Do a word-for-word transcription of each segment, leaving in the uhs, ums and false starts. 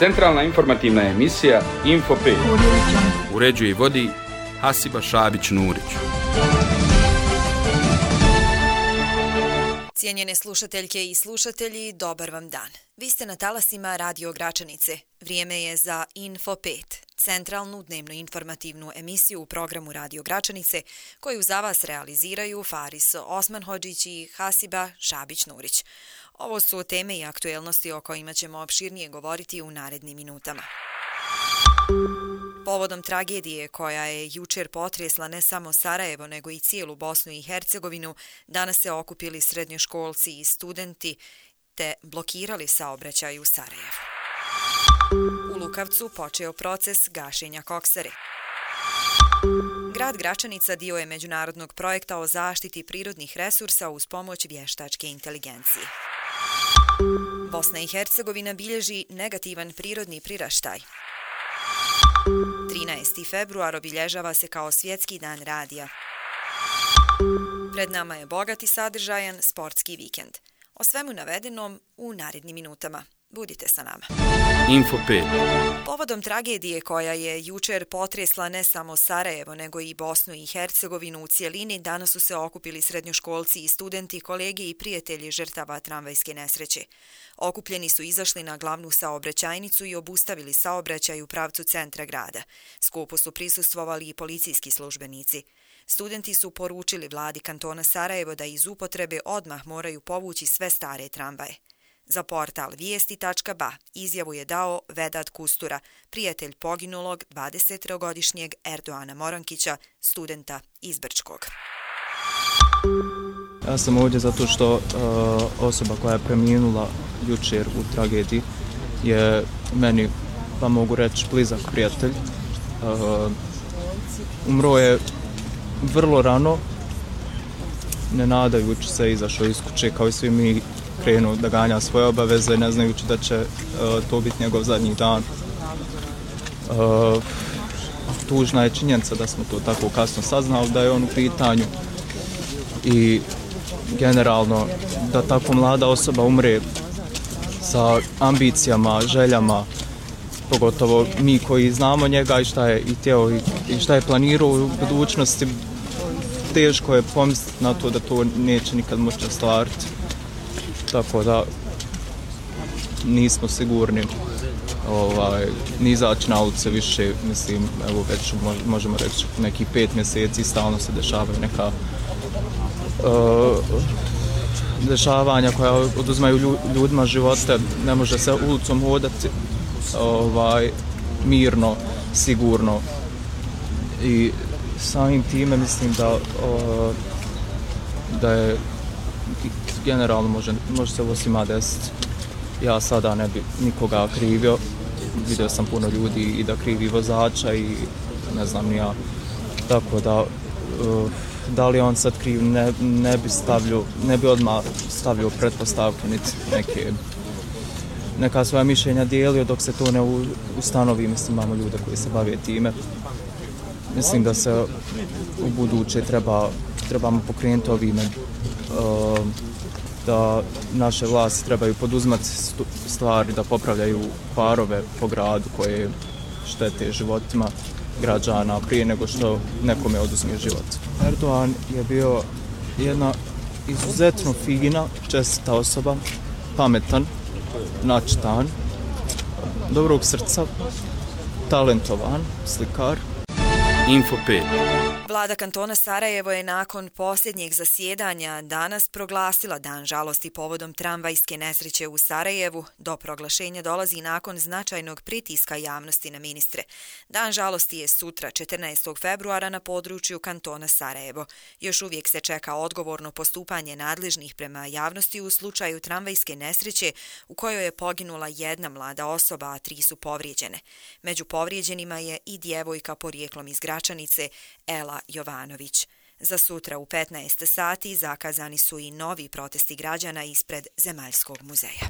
Centralna informativna emisija Info pet. Uređuje i vodi Hasiba Šabić-Nurić. Cijenjene slušateljke i slušatelji, dobar vam dan. Vi ste na talasima Radio Gračanice. Vrijeme je za Info pet, centralnu dnevno informativnu emisiju u programu Radio Gračanice, koju za vas realiziraju Faris Osmanhodžić i Hasiba Šabić-Nurić. Ovo su teme i aktuelnosti o kojima ćemo opširnije govoriti u narednim minutama. Povodom tragedije koja je jučer potresla ne samo Sarajevo, nego i cijelu Bosnu i Hercegovinu, danas se okupili srednjoškolci i studenti te blokirali saobraćaj u Sarajevu. U Lukavcu počeo proces gašenja koksare. Grad Gračanica dio je međunarodnog projekta o zaštiti prirodnih resursa uz pomoć vještačke inteligencije. Bosna i Hercegovina bilježi negativan prirodni priraštaj. trinaesti februar obilježava se kao svjetski dan radija. Pred nama je bogat i sadržajan sportski vikend. O svemu navedenom u narednim minutama. Budite sa nama. Info pet. Povodom tragedije koja je jučer potresla ne samo Sarajevo, nego i Bosnu i Hercegovinu u cijelini, danas su se okupili srednjoškolci i studenti, kolege i prijatelji žrtava tramvajske nesreće. Okupljeni su izašli na glavnu saobraćajnicu i obustavili saobraćaj u pravcu centra grada. Skupu su prisustvovali i policijski službenici. Studenti su poručili vladi kantona Sarajevo da iz upotrebe odmah moraju povući sve stare tramvaje. Za portal vijesti tačka ba izjavu je dao Vedat Kustura, prijatelj poginulog dvadesettrogodišnjeg Erdoana Morankića, studenta iz Brčkog. Ja sam ovdje zato što uh, osoba koja je preminula jučer u tragediji je meni, pa mogu reći, blizak prijatelj. Uh, umro je vrlo rano, ne nadajući se, izašao iz kuće kao i svi mi, krenuo da ganja svoje obaveze, ne znajući da će uh, to biti njegov zadnji dan. Uh, tužna je činjenica da smo to tako kasno saznali, da je on u pitanju i generalno da tako mlada osoba umre sa ambicijama, željama, pogotovo mi koji znamo njega i šta je i htio i šta je planirao u budućnosti, teško je pomisliti na to da to neće nikad moći ostvariti. Tako da nismo sigurni ovaj, ni izaći na ulice više, mislim, evo već možemo reći nekih pet mjeseci stalno se dešavaju neka uh, dešavanja koja oduzmaju ljudima živote, ne može se ulicom hodati ovaj, mirno, sigurno i samim time mislim da, uh, da je generalno može, može se ovo svima desiti. Ja sada ne bi nikoga krivio, vidio sam puno ljudi i da krivi vozača i ne znam ni ja, tako da uh, da li on sad kriv, ne, ne bi stavljio, ne bi odmah stavljio pretpostavke niti neke neka svoja mišljenja dijelio dok se to ne ustanovi. Mislim, imamo ljude koji se bave time. Mislim da se u buduće treba, trebamo pokrenuti ovime, uh, da naše vlasti trebaju poduzimati stvari, da popravljaju parove po gradu koje štete životima građana prije nego što nekome oduzme život. Erdoan je bio jedna izuzetno fina, čestita osoba, pametan, načitan, dobrog srca, talentovan slikar. Info pet. Vlada kantona Sarajevo je nakon posljednjeg zasjedanja danas proglasila dan žalosti povodom tramvajske nesreće u Sarajevu. Do proglašenja dolazi nakon značajnog pritiska javnosti na ministre. Dan žalosti je sutra, četrnaestog februara, na području kantona Sarajevo. Još uvijek se čeka odgovorno postupanje nadležnih prema javnosti u slučaju tramvajske nesreće u kojoj je poginula jedna mlada osoba, a tri su povrijeđene. Među povrijeđenima je i djevojka porijeklom iz Gračanice, Ela Jovanović. Za sutra u petnaest sati zakazani su i novi protesti građana ispred Zemaljskog muzeja.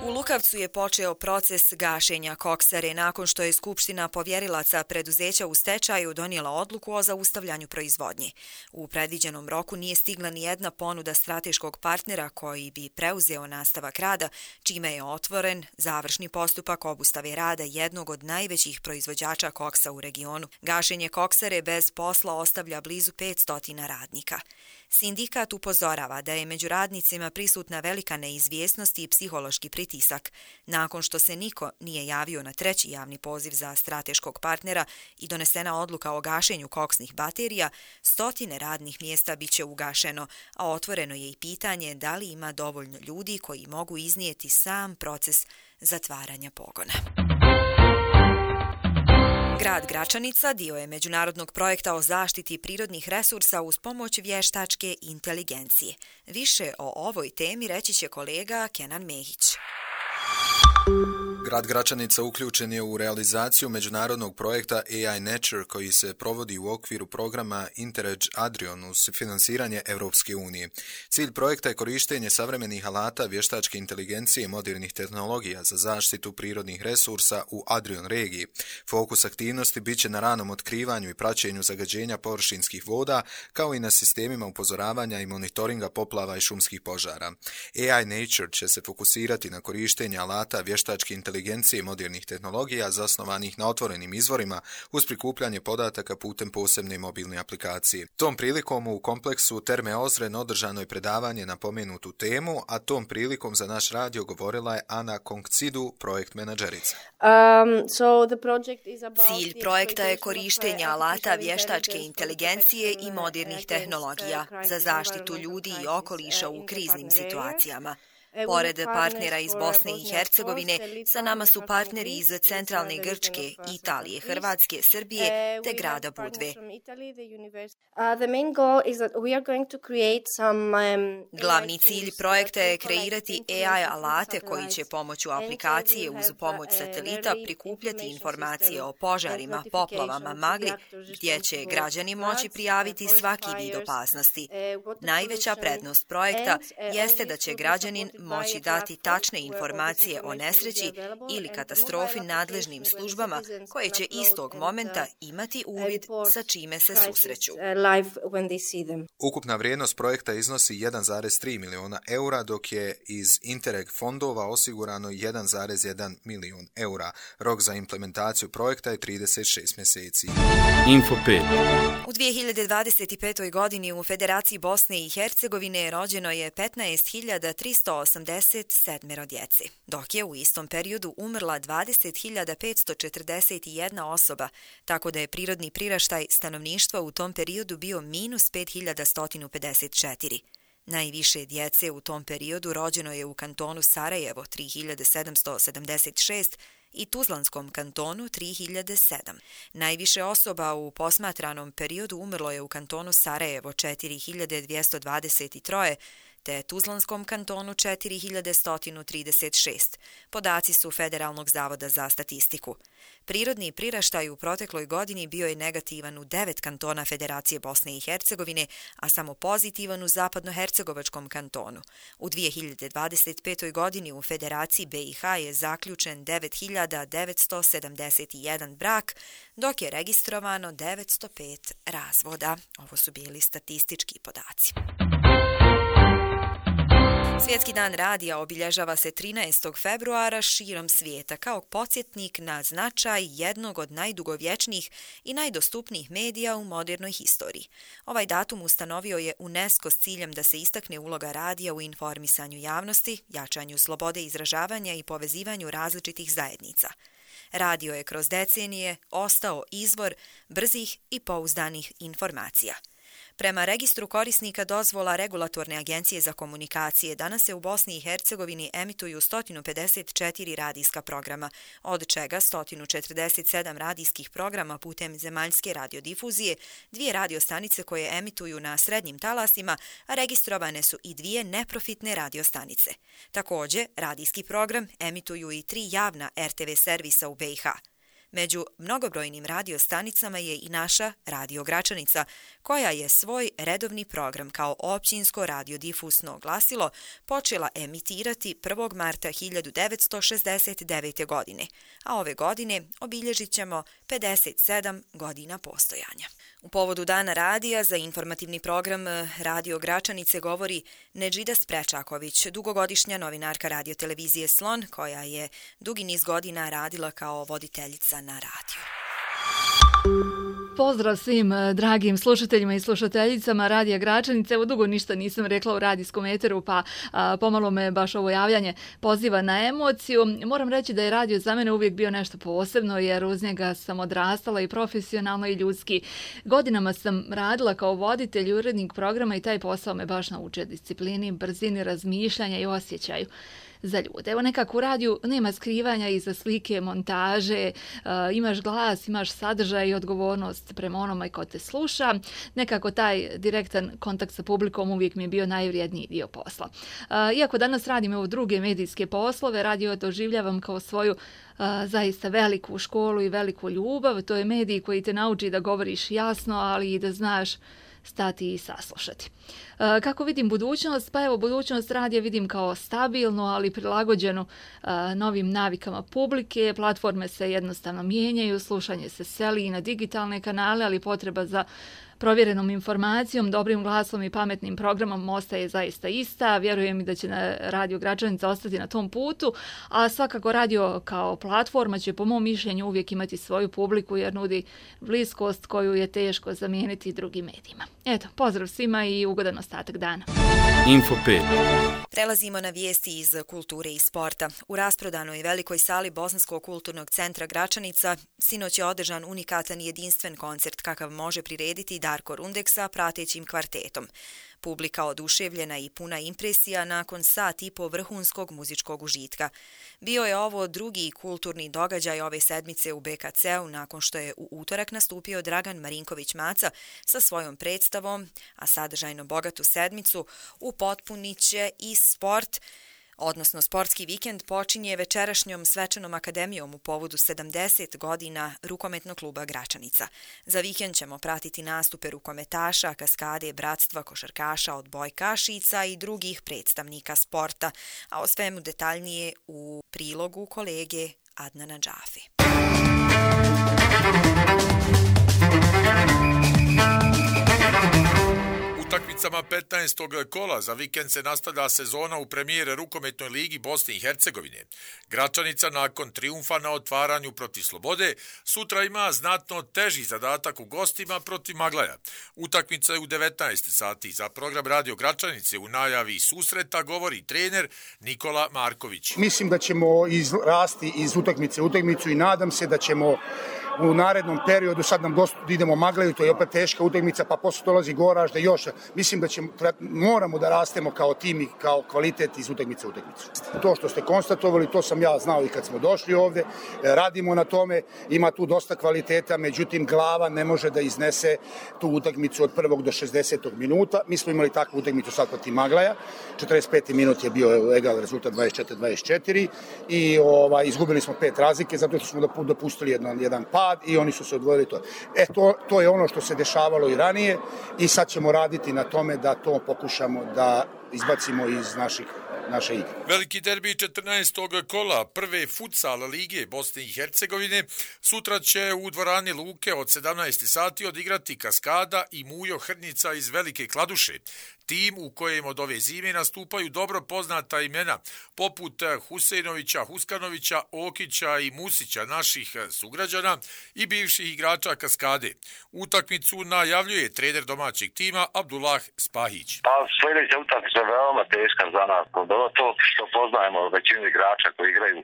U Lukavcu je počeo proces gašenja koksare nakon što je Skupština povjerilaca preduzeća u stečaju donijela odluku o zaustavljanju proizvodnje. U predviđenom roku nije stigla ni jedna ponuda strateškog partnera koji bi preuzeo nastavak rada, čime je otvoren završni postupak obustave rada jednog od najvećih proizvođača koksa u regionu. Gašenje koksare bez posla ostavlja blizu petsto radnika. Sindikat upozorava da je među radnicima prisutna velika neizvjesnost i psihološki pritisak. Nakon što se niko nije javio na treći javni poziv za strateškog partnera i donesena odluka o gašenju koksnih baterija, stotine radnih mjesta bit će ugašeno, a otvoreno je i pitanje da li ima dovoljno ljudi koji mogu iznijeti sam proces zatvaranja pogona. Grad Gračanica dio je međunarodnog projekta o zaštiti prirodnih resursa uz pomoć vještačke inteligencije. Više o ovoj temi reći će kolega Kenan Mehić. Grad Gračanica uključen je u realizaciju međunarodnog projekta A I Nature koji se provodi u okviru programa Interreg Adrion uz finansiranje Europske unije. Cilj projekta je korištenje savremenih alata, vještačke inteligencije i modernih tehnologija za zaštitu prirodnih resursa u Adrion regiji. Fokus aktivnosti biće na ranom otkrivanju i praćenju zagađenja površinskih voda, kao i na sistemima upozoravanja i monitoringa poplava i šumskih požara. A I Nature će se fokusirati na korištenje alata, vještačke inteligencije i modernih tehnologija zasnovanih na otvorenim izvorima uz prikupljanje podataka putem posebne mobilne aplikacije. Tom prilikom u kompleksu Terme Ozren održano je predavanje na pomenutu temu, a tom prilikom za naš radio govorila je Ana Konkcidu, projekt menadžerica. Um, so the project is about Cilj projekta je korištenje alata vještačke inteligencije i modernih tehnologija za zaštitu ljudi i okoliša u kriznim situacijama. Pored partnera iz Bosne i Hercegovine, sa nama su partneri iz centralne Grčke, Italije, Hrvatske, Srbije te grada Budve. Glavni cilj projekta je kreirati A I alate koji će pomoću aplikacije uz pomoć satelita prikupljati informacije o požarima, poplavama, magli, gdje će građani moći prijaviti svaki vid opasnosti. Najveća prednost projekta jeste da će građanin moći dati tačne informacije o nesreći ili katastrofi nadležnim službama koje će istog momenta imati uvid sa čime se susreću. Ukupna vrijednost projekta iznosi jedan zarez tri miliona eura, dok je iz Interreg fondova osigurano jedan zarez jedan milion eura. Rok za implementaciju projekta je trideset šest mjeseci. Info pet. U dvije hiljade dvadeset pete. godini u Federaciji Bosne i Hercegovine rođeno je petnaest hiljada tristo osamdeset sedam djece, dok je u istom periodu umrla dvadeset hiljada petsto četrdeset jedna osoba, tako da je prirodni priraštaj stanovništva u tom periodu bio minus pet hiljada sto pedeset četiri. Najviše djece u tom periodu rođeno je u kantonu Sarajevo tri hiljade sedamsto sedamdeset šest i Tuzlanskom kantonu tri hiljade sedam. Najviše osoba u posmatranom periodu umrlo je u kantonu Sarajevo četiri hiljade dvjesto dvadeset tri, te Tuzlanskom kantonu četiri hiljade sto trideset šest. Podaci su Federalnog zavoda za statistiku. Prirodni priraštaj u protekloj godini bio je negativan u devet kantona Federacije Bosne i Hercegovine, a samo pozitivan u zapadnohercegovačkom kantonu. U dvije hiljade dvadeset petoj. godini u Federaciji B i H je zaključen devet hiljada devetsto sedamdeset jedan brak, dok je registrovano devetsto pet razvoda. Ovo su bili statistički podaci. Svjetski dan radija obilježava se trinaestog februara širom svijeta kao podsjetnik na značaj jednog od najdugovječnijih i najdostupnijih medija u modernoj historiji. Ovaj datum ustanovio je UNESCO s ciljem da se istakne uloga radija u informisanju javnosti, jačanju slobode izražavanja i povezivanju različitih zajednica. Radio je kroz decenije ostao izvor brzih i pouzdanih informacija. Prema registru korisnika dozvola Regulatorne agencije za komunikacije, danas se u Bosni i Hercegovini emituju sto pedeset četiri radijska programa, od čega sto četrdeset sedam radijskih programa putem zemaljske radiodifuzije, dvije radiostanice koje emituju na srednjim talasima, a registrovane su i dvije neprofitne radiostanice. Također, radijski program emituju i tri javna R T V servisa u B i H. Među mnogobrojnim radiostanicama je i naša Radio Gračanica, koja je svoj redovni program kao općinsko radiodifusno glasilo počela emitirati prvog marta hiljadu devetsto šezdeset devete. godine, a ove godine obilježit ćemo pedeset sedam godina postojanja. U povodu Dana radija za informativni program Radio Gračanice govori Nedžida Sprečaković, dugogodišnja novinarka radiotelevizije Slon, koja je dugi niz godina radila kao voditeljica na radiju. Pozdrav svim dragim slušateljima i slušateljicama Radija Gračanice. Evo dugo ništa nisam rekla u radijskom eteru, pa a, pomalo me baš ovo javljanje poziva na emociju. Moram reći da je radio za mene uvijek bio nešto posebno, jer uz njega sam odrastala i profesionalno i ljudski. Godinama sam radila kao voditelj i urednik programa i taj posao me baš naučio disciplini, brzini razmišljanja i osjećaju za ljude. Evo nekako u radiju nema skrivanja iza slike, montaže, uh, imaš glas, imaš sadržaj i odgovornost prema onome ko te sluša. Nekako taj direktan kontakt sa publikom uvijek mi je bio najvrijedniji dio posla. Uh, iako danas radim evo druge medijske poslove, radio doživljavam kao svoju uh, zaista veliku školu i veliku ljubav. To je medij koji te nauči da govoriš jasno, ali i da znaš stati i saslušati. E, kako vidim budućnost? Pa evo, budućnost radija vidim kao stabilno, ali prilagođenu e, novim navikama publike. Platforme se jednostavno mijenjaju, slušanje se seli i na digitalne kanale, ali potreba za provjerenom informacijom, dobrim glasom i pametnim programom ostaje zaista ista. Vjerujem i da će na Radio Gračanica ostati na tom putu, a svakako radio kao platforma će po mom mišljenju uvijek imati svoju publiku jer nudi bliskost koju je teško zamijeniti drugim medijima. Eto, pozdrav svima i ugodan ostatak dana. Info pet. Prelazimo na vijesti iz kulture i sporta. U rasprodanoj velikoj sali Bosanskog kulturnog centra Gračanica sinoć je održan unikatan jedinstven koncert kakav može prirediti Darko Rundek sa pratećim kvartetom. Publika oduševljena i puna impresija nakon sat i po vrhunskog muzičkog užitka. Bio je ovo drugi kulturni događaj ove sedmice u B K C-u nakon što je u utorak nastupio Dragan Marinković Maca sa svojom predstavom, a sadržajno bogatu sedmicu upotpunit će i sport, odnosno sportski vikend počinje večerašnjom svečanom akademijom u povodu sedamdeset godina rukometnog kluba Gračanica. Za vikend ćemo pratiti nastupe rukometaša, kaskade, bratstva, košarkaša, odbojkašica i drugih predstavnika sporta, a o svemu detaljnije u prilogu kolege Adnana Džafe. Utakmicama petnaestog kola za vikend se nastavlja sezona u premijere rukometnoj ligi Bosne i Hercegovine. Gračanica nakon trijumfa na otvaranju protiv Slobode sutra ima znatno teži zadatak u gostima protiv Maglaja. Utakmica je u devetnaest sati. Za program Radio Gračanice u najavi susreta govori trener Nikola Marković. Mislim da ćemo izrasti iz utakmice u utakmicu i nadam se da ćemo u narednom periodu, sad nam dosta idemo Maglaju, to je opet teška utakmica, pa posle dolazi Goražde još. Mislim da ćemo, moramo da rastemo kao tim i kao kvalitet iz utakmice u utakmicu. To što ste konstatovali, to sam ja znao i kad smo došli ovde, radimo na tome, ima tu dosta kvaliteta, međutim glava ne može da iznese tu utakmicu od prvog do šezdesetog minuta. Mi smo imali takvu utakmicu sad protiv Maglaja, četrdeset peti minut je bio egal rezultat dvadeset četiri dvadeset četiri i ovaj, izgubili smo pet razlike zato što smo dopustili jedan, jedan pad i oni su se odvojili to. E, to, to je ono što se dešavalo i ranije i sad ćemo raditi na tome da to pokušamo da izbacimo iz naših naše igre. Veliki derbi četrnaestog kola prve futsal lige Bosne i Hercegovine sutra će u dvorani Luke od sedamnaest sati odigrati Kaskada i Mujo Hrnica iz Velike Kladuše. Tim u kojem od ove zime nastupaju dobro poznata imena poput Huseinovića, Huskanovića, Okića i Musića, naših sugrađana i bivših igrača Kaskade. Utakmicu najavljuje trener domaćeg tima Abdullah Spahić. Pa sljedeća utakmica je veoma teška za nas. To što poznajemo većinu igrača koji igraju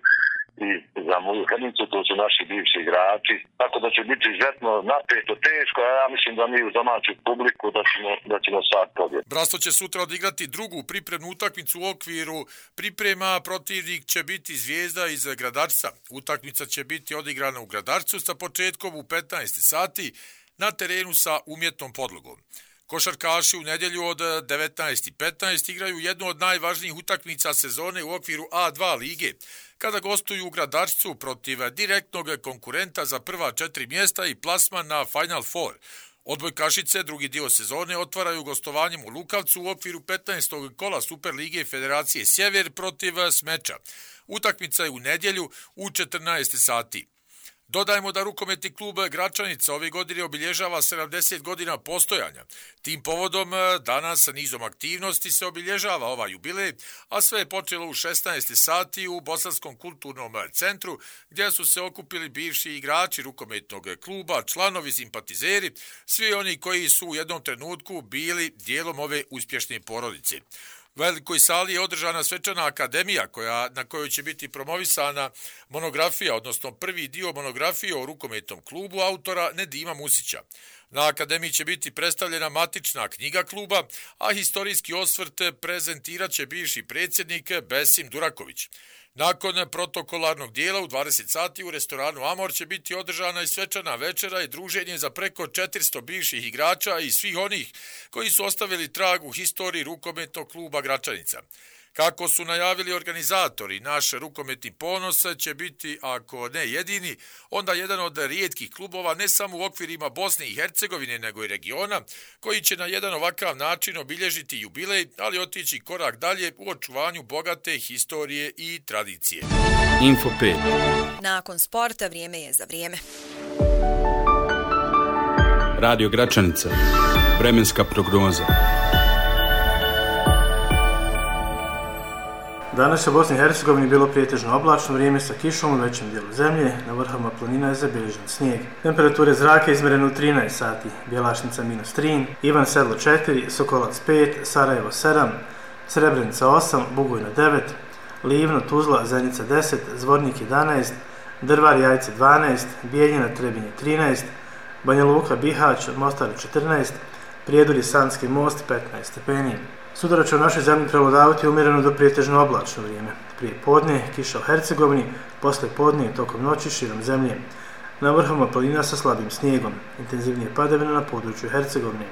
i za moju Hrnicu, to su naši bivši igrači. Tako da će biti izuzetno napeto, teško, a ja mislim da mi u domaću publiku da ćemo, da ćemo sad pobjediti. Brasto će sutra odigrati drugu pripremnu utakmicu u okviru priprema. Protivnik će biti Zvijezda iz Gradarca. Utakmica će biti odigrana u Gradarcu sa početkom u petnaest sati na terenu sa umjetnom podlogom. Košarkaši u nedjelju od devetnaest i petnaest igraju jednu od najvažnijih utakmica sezone u okviru A dva lige, kada gostuju u Gradačcu protiv direktnog konkurenta za prva četiri mjesta i plasman na Final Four. Odbojkašice drugi dio sezone otvaraju gostovanjem u Lukavcu u okviru petnaestog kola Super lige Federacije Sjever protiv Smeča. Utakmica je u nedjelju u četrnaest sati. Dodajmo da rukometni klub Gračanica ove godine obilježava sedamdeset godina postojanja. Tim povodom danas nizom aktivnosti se obilježava ovaj jubilej, a sve je počelo u šesnaest sati u Bosanskom kulturnom centru, gdje su se okupili bivši igrači rukometnog kluba, članovi, simpatizeri, svi oni koji su u jednom trenutku bili dijelom ove uspješne porodice. U velikoj sali je održana svečana akademija koja, na kojoj će biti promovisana monografija, odnosno prvi dio monografije o rukometnom klubu autora Nedima Musića. Na akademiji će biti predstavljena matična knjiga kluba, a historijski osvrt prezentirat će bivši predsjednik Besim Duraković. Nakon protokolarnog dijela u dvadeset sati u restoranu Amor će biti održana i svečana večera i druženje za preko četiristo bivših igrača i svih onih koji su ostavili trag u historiji rukometnog kluba Gračanica. Kako su najavili organizatori, naš rukometni ponos će biti, ako ne jedini, onda jedan od rijetkih klubova ne samo u okvirima Bosne i Hercegovine, nego i regiona, koji će na jedan ovakav način obilježiti jubilej, ali otići korak dalje u očuvanju bogate historije i tradicije. Info pet. Nakon sporta vrijeme je za vrijeme. Radio Gračanica. Vremenska prognoza. Danas je u Bosni i Hercegovini bilo prijetežno oblačno vrijeme sa kišom u većem dijelu zemlje, na vrhovima planina je zabilježen snijeg. Temperature zraka izmjerene u trinaest sati, Bjelašnica minus tri, Ivan Sedlo četiri, Sokolac pet, Sarajevo sedam, Srebrenica osam, Bugojno devet, Livno, Tuzla, Zenica deset, Zvornik jedanaest, Drvar, Jajce dvanaest, Bijeljina, Trebinje trinaest, Banja Luka, Bihać, Mostar četrnaest, Prijedor i Sanski most petnaest stepeni. Sutra će u našoj zemlji prevladavati umjereno do prijetežno oblačno vrijeme. Prije podne kiša u Hercegovini, poslije podne i tokom noći širom zemlje. Na vrhovima planina sa slabim snijegom, intenzivnije padavine na području Hercegovine.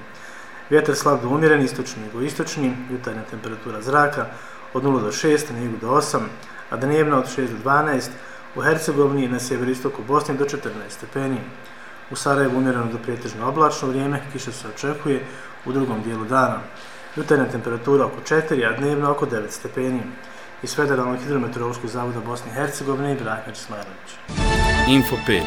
Vjetar slab do umjeren, istočni i jugoistočni, jutarnja temperatura zraka od nula do šest, na jugu do osam, a dnevna od šest do dvanaest, u Hercegovini i na sjeveristoku Bosne do četrnaest stepeni. U Sarajevu umjereno do prijetežno oblačno vrijeme, kiša se očekuje u drugom dijelu dana. Jutarnja temperatura oko četiri, a dnevno oko devet stepeni. Iz Federalnog hidrometeorološkog zavoda Bosne i Hercegovine Ibrahim Česmarović. Info pet.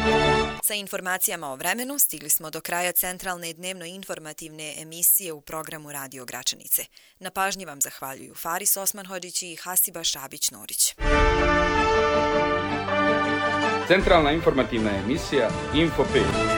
Sa informacijama o vremenu stigli smo do kraja centralne dnevno informativne emisije u programu Radio Gračanice. Na pažnji vam zahvaljuju Faris Osmanhodžić i Hasiba Šabić-Nurić. Centralna informativna emisija Info pet.